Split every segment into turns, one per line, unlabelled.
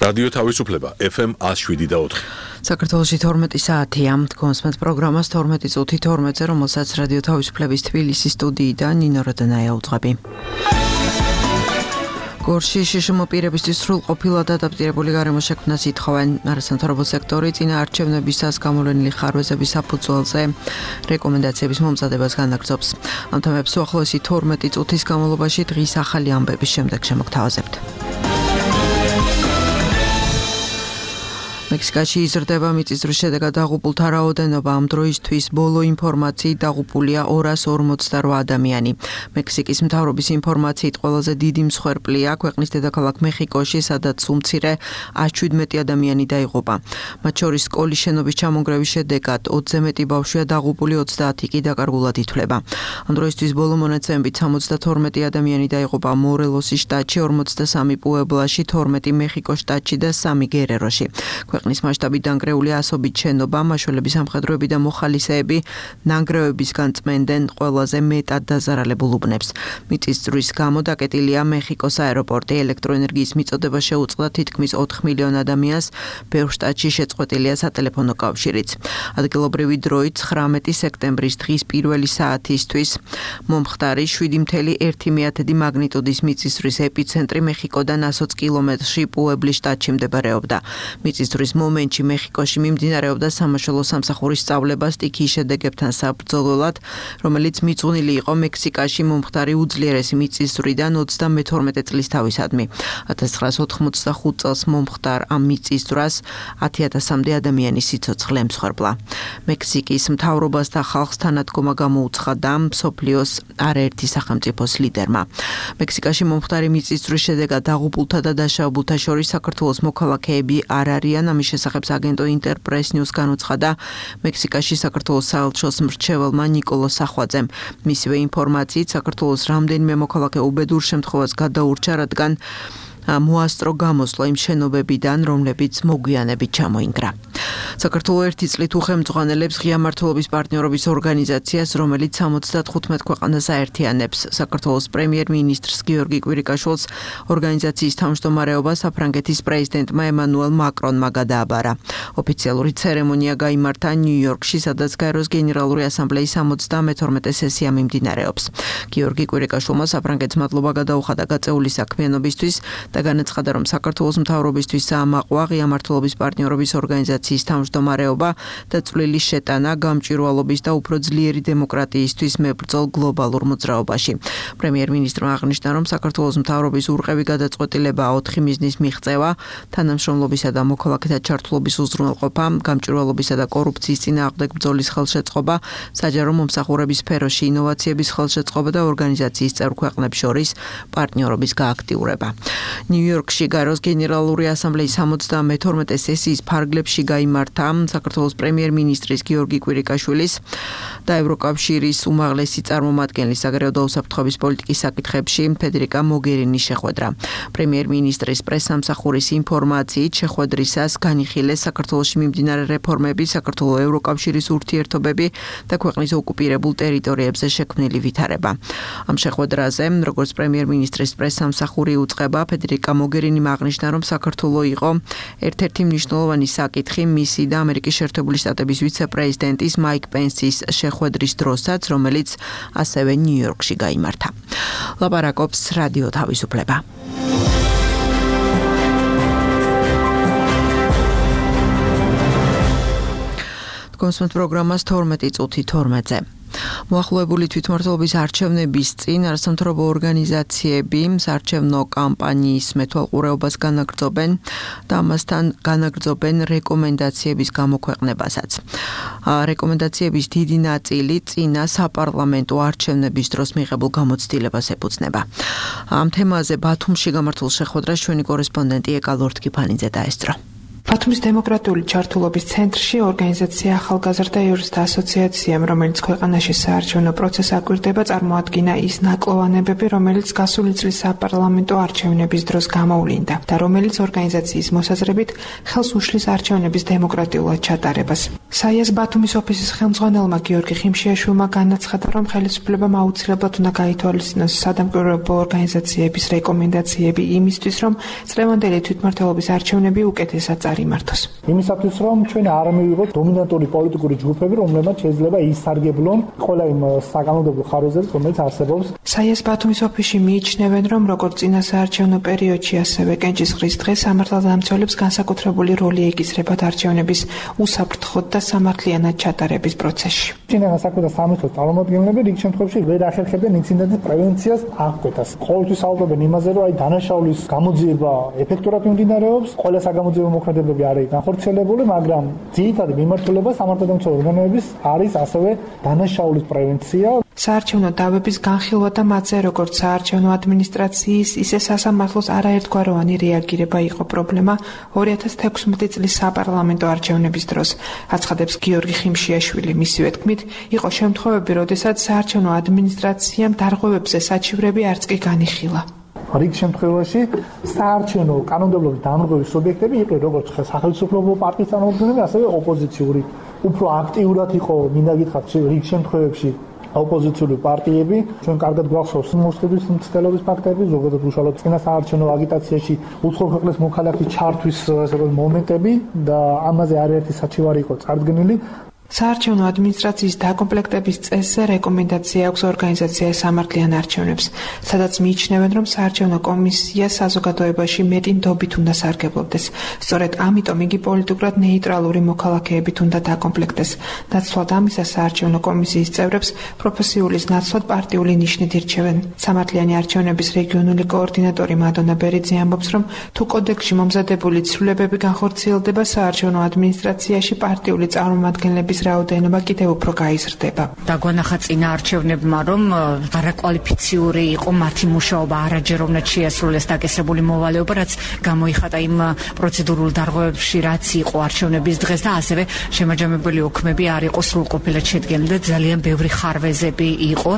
რადიო თავისუფლება FM 107.4.
საქართველოში 12 საათია. კონსმეთ პროგრამას 12 წუთი 12-ზე, რომელსაც რადიო თავისუფლების თბილისის სტუდიიდან ნინო როდანაია უძღვები. გორში შშმ პირებისთვის სრულყოფილად ადაპტირებული გარემო შექმნას ითხოვენ არასამთავრობო სექტორი წინაარჩევნებისას გამოვლენილი ხარვეზების საფუძველზე რეკომენდაციების მომზადებას განაგრძობს. ამ თემებს უახლოესი 12 წუთის განმავლობაში დღის ახალი ამბების შემდეგ შემოგთავაზებთ. მექსიკაში იზრდება მიწისძვრის შედეგად დაღუპულთა რაოდენობა. ამ დროისთვის ბოლო ინფორმაციით დაღუპულია 248 ადამიანი. მექსიკის მთავრობის ინფორმაციით ყველაზე დიდი მსხვერპლია ქვეყნის დედაქალაქ მეხიკოში, სადაც უმცირე 117 ადამიანი დაიღუპა. მათ შორის სკოლის შენობის ჩამონგრევის შედეგად 20-ზე მეტი ბავშვია დაღუპული, 30 კი დაკარგულად ითვლება. ამ დროისთვის ბოლო მონაცემებით 72 ადამიანი დაიღუპა მორელოსის შტატში, 43 პუებლაში, 12 მეხიკოს შტატში და 3 გერეროში. ქვეყნის მასშტაბით დანგრეულია ასობით შენობა, მაშველები, სამხედროები და მოხალისეები ნანგრევებისგან წმენდნენ ყველაზე მეტად დაზარალებულ უბნებს. მიწისძვრის გამო დაკეტილია მეხიკოს აეროპორტი. ელექტროენერგიის მიწოდება შეუწყდა თითქმის 4 მილიონ ადამიანს, ბევრ შტატში შეწყვეტილია სატელეფონო კავშირიც. ადგილობრივი დროით 19 სექტემბრის დღის პირველი საათისთვის მომხდარი 7,1 მაგნიტუდის მიწისძვრის ეპიცენტრი მეხიკოდან 120 კილომეტრში პუებლის შტატში მდებარეობდა. მიწისძვრის მომენტში მეხიკოში მიმდინარეობდა სამაშველო სამსახურის სწავლება სტიქიის შედეგებთან საბრძოლველად, რომელიც მიძღვნილი იყო მექსიკაში მომხდარი უძლიერესი მიწისძვრიდან 32 წლის თავისადმი. 1985 წელს მომხდარ ამ მიწისძვრას 10,000-მდე ადამიანის სიცოცხლე ემსხვერპლა. მექსიკის მთავრობას და ხალხს თანადგომა გამოუცხადა მსოფლიოს არაერთი სახელმწიფოს ლიდერმა. მექსიკაში მომხდარი მიწისძვრის შედეგად დაღუპულთა და დაშავებულთა შორის საქართველოს მოქალაქეები არ არიან. ამის შესახებ აგენტო ინტერპრეს ნიუს განუცხადა მექსიკაში საქართველოს საელჩოს მრჩეველმა ნიკოლოს სახვაძემ. მისივე ინფორმაციით საქართველოს რამდენიმე მოქალაქე უბედურ შემთხვევას გადაურჩა, რადგან მოასწრო გამოსვლა იმ შენობებიდან, რომლებიც მოგვიანებით ჩამოინგრა. საქართველოს ერთი წლით უხელმძღვანელებს ღია მმართველობის პარტნიორობის ორგანიზაციას, რომელიც 75 ქვეყანას აერთიანებს. საქართველოს პრემიერ-მინისტრს გიორგი კვირიკაშვილს ორგანიზაციის თავმჯდომარეობა საფრანგეთის პრეზიდენტმა ემანუელ მაკრონმა გადააბარა. ოფიციალური ცერემონია გაიმართა ნიუ-იორკში, სადაც გაეროს გენერალური ასამბლეის 72 სესია მიმდინარეობს. გიორგი კვირიკაშვილმა საფრანგეთს მადლობა გადაუხადა გაწეული საქმიანობისთვის და განაცხადა, რომ საქართველოს მთავრობისთვის საამაყოა ღია მმართველობის პარტნიორობის ორგანიზაციის თავმჯდომარეობა და წვლილი შეტანა გამჭვირვალობის და უფრო ძლიერი დემოკრატიისთვის მებრძოლ გლობალურ მოძრაობაში. პრემიერ-მინისტრმა აღნიშნა, რომ საქართველოს მთავრობის ურყევი გადაწყვეტილება 4 მიზნის მიღწევა, თანამშრომლობისა და მოქალაქეთა ჩართულობის უზრუნველყოფა, გამჭვირვალობისა და კორუფციის წინააღმდეგ ბრძოლის ხელშეწყობა, საჯარო მომსახურების სფეროში ინოვაციების ხელშეწყობა და ორგანიზაციის წევრ ქვეყნებს შორის პარტნიორობის გააქტიურება. ნიუ-იორკში გაეროს გენერალური ასამბლეის 72 სესიის ფარგლებში გაიმართა საქართველოს პრემიერ-მინისტრის გიორგი კვირიკაშვილის და ევროკავშირის უმაღლესი წარმომადგენლის საგარეო და უსაფრთხოების პოლიტიკის საკითხებში ფედერიკა მოგერინის შეხვედრა. პრემიერ-მინისტრის პრესსამსახურის ინფორმაციით შეხვედრისას განიხილეს საქართველოში მიმდინარე რეფორმები, საქართველოს ევროკავშირის ურთიერთობები და ქვეყნის ოკუპირებულ ტერიტორიებზე შექმნილი ვითარება. ამ შეხვედრაზე, როგორც პრემიერ-მინისტრის პრესსამსახური უწყება, ფედერიკა მოგერინიმ აღნიშნა, რომ საქართველოს იყო ერთ-ერთი მნიშვნელოვანი საკითხი მისი და ამერიკის შეერთებული შტატების ვიცე-პრეზიდენტის მაიკ პენსის შეხვედრის დროსაც, რომელიც ასევე ნიუ-იორკში გაიმართა. ლაპარაკობს რადიო თავისუფლება. კონსმეთ პროგრამას 12 წუთი 12-ზე. მოახლოებული თვითმმართველობის არჩევნების წინ არასამთავრობო ორგანიზაციები საარჩევნო კამპანიის მეთვალყურეობას განაგრძობენ და ამასთან განაგრძობენ რეკომენდაციების გამოქვეყნებასაც. რეკომენდაციების დიდი ნაწილი წინა საპარლამენტო არჩევნების დროს მიღებულ გამოცდილებას ეფუძნება. ამ თემაზე ბათუმში გამართულ შეხვედრას ჩვენი კორესპონდენტი ეკა ლორთქიფანიძე დაესწრო.
ბათუმის დემოკრატიული ჩართულობის ცენტრში ორგანიზაცია ახალგაზრდა იურისტთა ასოციაციამ, რომელიც ქვეყანაში საარჩევნო პროცესს აკვირდება, წარმოადგინა ის ნაკლოვანებები, რომელიც გასული წლის საპარლამენტო არჩევნების დროს გამოვლინდა და რომელიც ორგანიზაციის მოსაზრებით ხელს უშლის არჩევნების დემოკრატიულად ჩატარებას. საიას ბათუმის ოფისის ხელმძღვანელმა გიორგი ხიმშიაშვილმა განაცხადა, რომ ხელისუფლებამ აუცილებლად უნდა გაითვალისწინოს სადამკვირვებლო ორგანიზაციების რეკომენდაციები იმისთვის, რომ წლევანდელი თვითმმართველობის არჩევნები უკეთესად წარიმართოს.
იმისათვის, რომ ჩვენ არ მივიღოთ დომინანტური პოლიტიკური ჯგუფები, რომლებმაც შეიძლება ისარგებლონ ყველა იმ საკანონმდებლო ხარვეზებით, რომელიც არსებობს.
საიას ბათუმის ოფისში მიიჩნევენ, რომ როგორც წინა საარჩევნო პერიოდში, ასევე კენჭისყრის დღეს სამართალდამცველებს განსაკუთრებული როლი ეკისრებათ არჩევნების უსაფრთხოდ და სამართლიანად ჩატარების პროცესში.
წინა საქმე და სამართლის წარმომადგენლები რიგ შემთხვევაში ვერ ახერხებენ ინციდენტის პრევენციას აღკვეთას. ყოველთვის საუბრობენ იმაზე, რომ აი დანაშაულის გამოძიება ეფექტურად მიმდინარეობს, ყველა საგამოძიებო მოქმედებები არის განხორციელებული, მაგრამ ძირითადი მიმართულება სამართალდამცავ ორგანოების არის ასევე დანაშაულის პრევენცია.
საარჩევნო დავების განხილვა და მათზე როგორც საარჩევნო ადმინისტრაციის, ისე სასამართლოს არაერთგვაროვანი რეაგირება იყო პრობლემა 2016 წლის საპარლამენტო არჩევნების დროს, აცხადებს გიორგი ხიმშიაშვილი. მისივე თქმით, იყო შემთხვევები, როდესაც საარჩევნო ადმინისტრაციამ დარღვევებზე საჩივრები არც კი განიხილა.
რიგ შემთხვევაში საარჩევნო კანონმდებლობის დამრღვევის სუბიექტები იყვნენ როგორც სახელმწიფო პარტიის წარმომადგენლები, ასევე ოპოზიციური. უფრო აქტიურად იყო მინდა გითხრათ რიგ შემთხვევებში ოპოზიციური პარტიები. ჩვენ კარგად გვახსოვს მოსყიდვის მცდელობის ფაქტები, ზოგადად უშუალოდ წინა საარჩევნო აგიტაციაში უცხოურ ქვეყნის მოქალაქის ჩართვის მომენტები და ამაზე არაერთი საჩივარი იყო წარდგენილი.
საარჩევნო ადმინისტრაციის დაკომპლექტების წესზე რეკომენდაცია აქვს ორგანიზაცია სამართლიან არჩევნებს, სადაც მიიჩნევენ, რომ საარჩევნო კომისია საზოგადოებაში მეტი ნდობით უნდა სარგებლობდეს. სწორედ ამიტომ იგი პოლიტიკურად ნეიტრალური მოქალაქეებით უნდა დაკომპლექტდეს. ნაცვლად ამისა საარჩევნო კომისიის წევრებს პროფესიულის ნაცვლად პარტიული ნიშნით ირჩევენ. სამართლიანი არჩევნების რეგიონული კოორდინატორი მადონა ბერიძე ამბობს, რომ თუ კოდექსში მომზადებული ცვლილებები განხორციელდება, საარჩევნო ადმინისტრაციაში პარტიული წარმომადგენლების რაოდენობა კიდევ უფრო გაიზრდება.
დაგვანახა წინა არჩევნებმა, რომ არაკვალიფიციური იყო მათი მუშაობა, არაჯეროვნად შეასრულეს დაკისრებული მოვალეობა, რაც გამოიხატა იმ პროცედურულ დარღვევებში, რაც იყო არჩევნების დღეს და ასევე შემაჯამებელი ოქმები არ იყო სრულყოფილად შედგენილი და ძალიან ბევრი ხარვეზები იყო.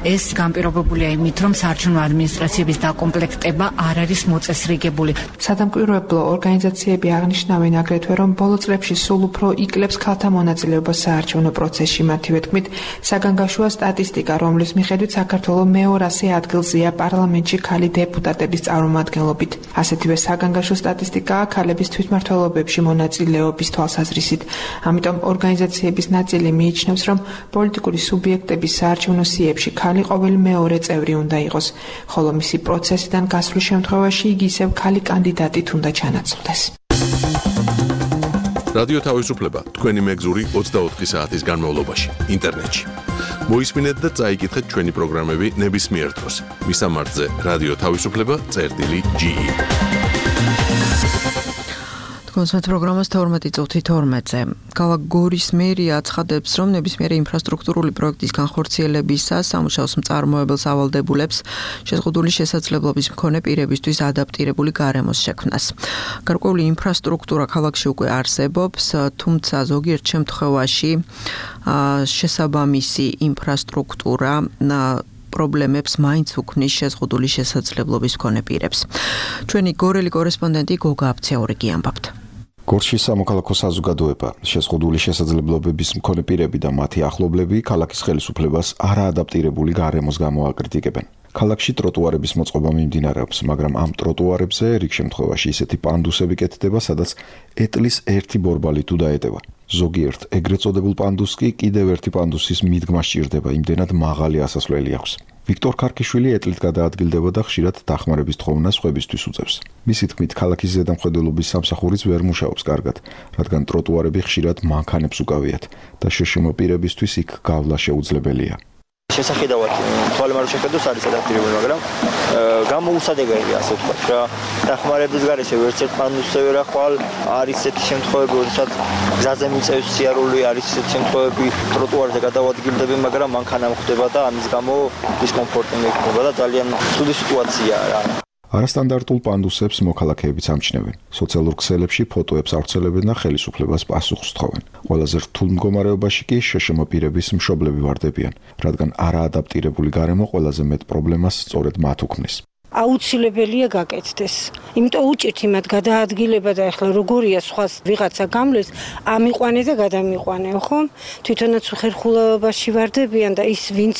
ეს განპირობებულია იმით, რომ საარჩევნო ადმინისტრაციების დაკომპლექტება არ არის მოწესრიგებული.
სადამკვირვებლო ორგანიზაციები აღნიშნავენ აგრეთვე, რომ ბოლო წლებში სულ უფრო იკლებს ქალთა მონაწილეობა საარჩევნო პროცესში. მათივე თქმით, საგანგაშოა სტატისტიკა, რომლის მიხედვით საქართველოს მე-200 ადგილზეა პარლამენტში ქალი დეპუტატების წარმომადგენლობით. ასეთივე საგანგაშო სტატისტიკაა ქალების თვითმმართველობებში მონაწილეობის თვალსაზრისით. ამიტომ ორგანიზაციების ნაწილი მიიჩნევს, რომ პოლიტიკური სუბიექტების საარჩევნო სიებში ქალი ყოველი მეორე წევრი უნდა იყოს, ხოლო მისი პროცესიდან გასვლის შემთხვევაში იგი ისევ ქალი კანდიდატით უნდა ჩანაცვლდეს.
რადიო თავისუფლება თქვენი მეგზური 24 საათის განმავლობაში ინტერნეტში. მოისმინეთ და წაიკითხეთ ჩვენი პროგრამები ნებისმიერ დროს. მისამართზე რადიო თავისუფლება.ge.
კონსერტ პროგრამას 12:12-ზე. ქალაქ გორის მერია აცხადებს, რომ ნებისმიერი ინფრასტრუქტურული პროექტის განხორციელებისას სამუშაოს მწარმოებელს ავალდებულებს შეზღუდული შესაძლებლობის მქონე პირებისთვის ადაპტირებული გარემოს შექმნას. გარკვეული ინფრასტრუქტურა ქალაქში უკვე არსებობს, თუმცა ზოგიერთ შემთხვევაში შესაბამისი ინფრასტრუქტურა პრობლემებს მაინც უქმნის შეზღუდული შესაძლებლობის მქონე პირებს. ჩვენი გორელი კორესპონდენტი გოგა აბცეორიგი ამბობთ.
გორში სამოქალაქო საზოგადოება, შეზღუდული შესაძლებლობების მქონე პირები და მათი ახლობლები ქალაქის ხელისუფლებას არაადაპტირებული გარემოს გამო აკრიტიკებენ. ქალაქში ტროტუარების მოწყობა მიმდინარეობს, მაგრამ ამ ტროტუარებზე რიგ შემთხვევაში ისეთი პანდუსები კეთდება, სადაც ეტლის ერთი ბორბალი თუ დაეტევა. ზოგიერთ ეგრეთ წოდებულ პანდუსს კი კიდევ ერთი პანდუსის მიდგმა სჭირდება, იმდენად მაღალი ასასვლელი აქვს. ვიქტორ ქარქიშვილი ეტლით გადაადგილდება და ხშირად დახმარების თხოვნას ხვებისთვის უწევს. მისი თქმით, ქალაქის ზედამხედველობის სამსახურიც ვერ მუშაობს კარგად, რადგან ტროტუარები ხშირად მანქანებს უკავიათ და შეშმო პირებისთვის იქ გავლა შეუძლებელია.
შესახედავად თვალემ არ შეხედოს არის ადაპტირებული, მაგრამ გამოუსადეგია ასე ვთქვათ რა. დახმარების გარეშე ვერც ერთ პანდუსზე ვერ ახვალ, არის ესეთი შემთხვევები, როდესაც გზაზე მიწევს სიარული, არის ესეთი შემთხვევები, ტროტუარზე გადავადგილდები, მაგრამ მანქანა მხვდება და ამის გამო დისკომფორტი მექნება და ძალიან ცუდი სიტუაციაა რა.
არასტანდარტულ პანდუსებს მოქალაქეებიც ამჩნევენ. სოციალურ ქსელებში ფოტოებს ავრცელებენ და ხელისუფლებას პასუხს თხოვენ. ყველაზე რთულ მდგომარეობაში კი შშმ პირების მშობლები ვარდებიან, რადგან არაადაპტირებული გარემო ყველაზე მეტ პრობლემას სწორედ მათ უქმნის.
აუცილებელია გაკეთდეს. იმიტომ უჭირთ იმათ გადაადგილება და ახლა როგორია სხვა ვიღაცა გამლეს, ამიყვანე და გადამიყვანე, ხო? თვითონაც უხერხულობაში ვარდებიან და ის ვინც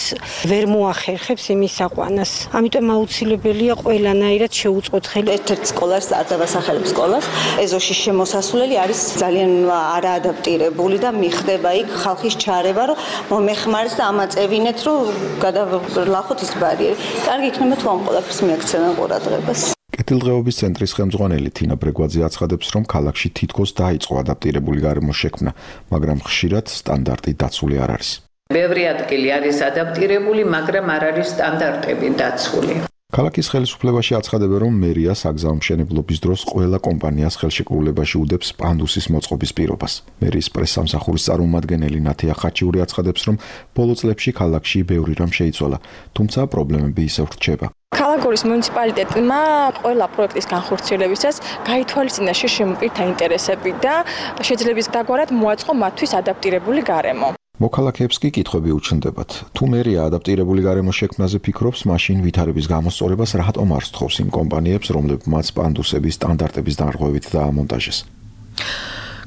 ვერ მოახერხებს იმის აყვანას. ამიტომ აუცილებელია ყველანაირად შეუწყოთ ხელი.
ერთ-ერთ სკოლას არ დავასახელებ სკოლას. ეზოში შემოსასვლელი არის ძალიან არაადაპტირებული და მიხდება იქ ხალხის ჩარევა, რომ მომეხმარეს და ამაწევინეთ, რომ გადავლახოთ ის ბარიერი. კარგი იქნება თუ ამ ყველაფერს მიაქცევენ ყურადღებას.
კეთილდღეობის ცენტრის ხელმძღვანელი თინა ბრეგვაძე აცხადებს, რომ ქალაქში თითქოს დაიწყო ადაპტირებული გარემოს შექმნა, მაგრამ ხშირად სტანდარტი დაცული არ არის.
ბევრი ადგილი არის ადაპტირებული, მაგრამ არ არის სტანდარტები დაცული.
ქალაქის ხელისუფლებაში აცხადებენ, რომ მერია საგზაო მშენებლობის დროს ყველა კომპანიას ხელშეკრულებაში უდებს პანდუსის მოწყობის პირობას. მერიის პრესსამსახურის წარმომადგენელი ნათია ხაჩიური აცხადებს, რომ ბოლო წლებში ქალაქში ბევრი რამ შეიცვალა, თუმცა პრობლემები ისევ რჩება.
ქალაქურის მუნიციპალიტეტმა ყველა პროექტის განხორციელებისას გაითვალისწინა შშმ პირთა ინტერესები და შეძლების დაგვარად მოაწყო მათთვის ადაპტირებული გარემო.
მოქალაქეებს კი კითხვები უჩნდებათ. თუ მერია ადაპტირებული გარემოს შექმნაზე ფიქრობს, მაშინ ვითარების გამოსწორებას რატომ არ სთხოვს იმ კომპანიებს, რომლებმაც პანდუსების სტანდარტების დარღვევით დაამონტაჟეს.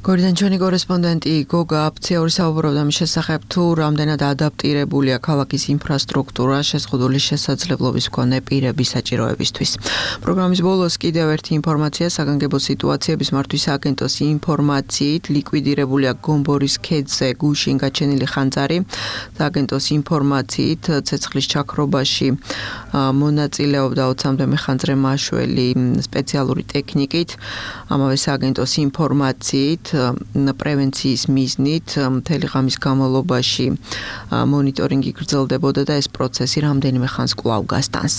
გორიდან ჩვენი კორესპონდენტი გოგა აფციაური საუბრობდა მის შესახებ, თუ რამდენად ადაპტირებულია ქალაქის ინფრასტრუქტურა შეზღუდული შესაძლებლობის მქონე პირების საჭიროებისთვის. პროგრამის ბოლოს კიდევ ერთი ინფორმაცია საგანგებო სიტუაციების მართვის აგენტოს ინფორმაციით ლიკვიდირებულია გომბორის ქედზე გუშინ გაჩენილი ხანძარი. აგენტოს ინფორმაციით ცეცხლის ჩაქრობაში მონაწილეობდა 20-მდე მეხანძრე მაშველი სპეციალური ტექნიკით. ამავე აგენტოს ინფორმაციით პრევენციის მიზნით მთელი ღამის განმავლობაში მონიტორინგი გრძელდებოდა და ეს პროცესი რამდენიმე ხანს კვლავ გასტანს.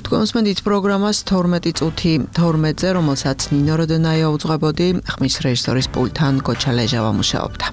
თქვენ მოსმენთ პროგრამას 12 წუთი 12-ზე, რომელსაც ნინო როდენაია უძღვებოდი, ხმის რეჟისორის პულტთან გოჩა ლეჟავა მუშაობდა.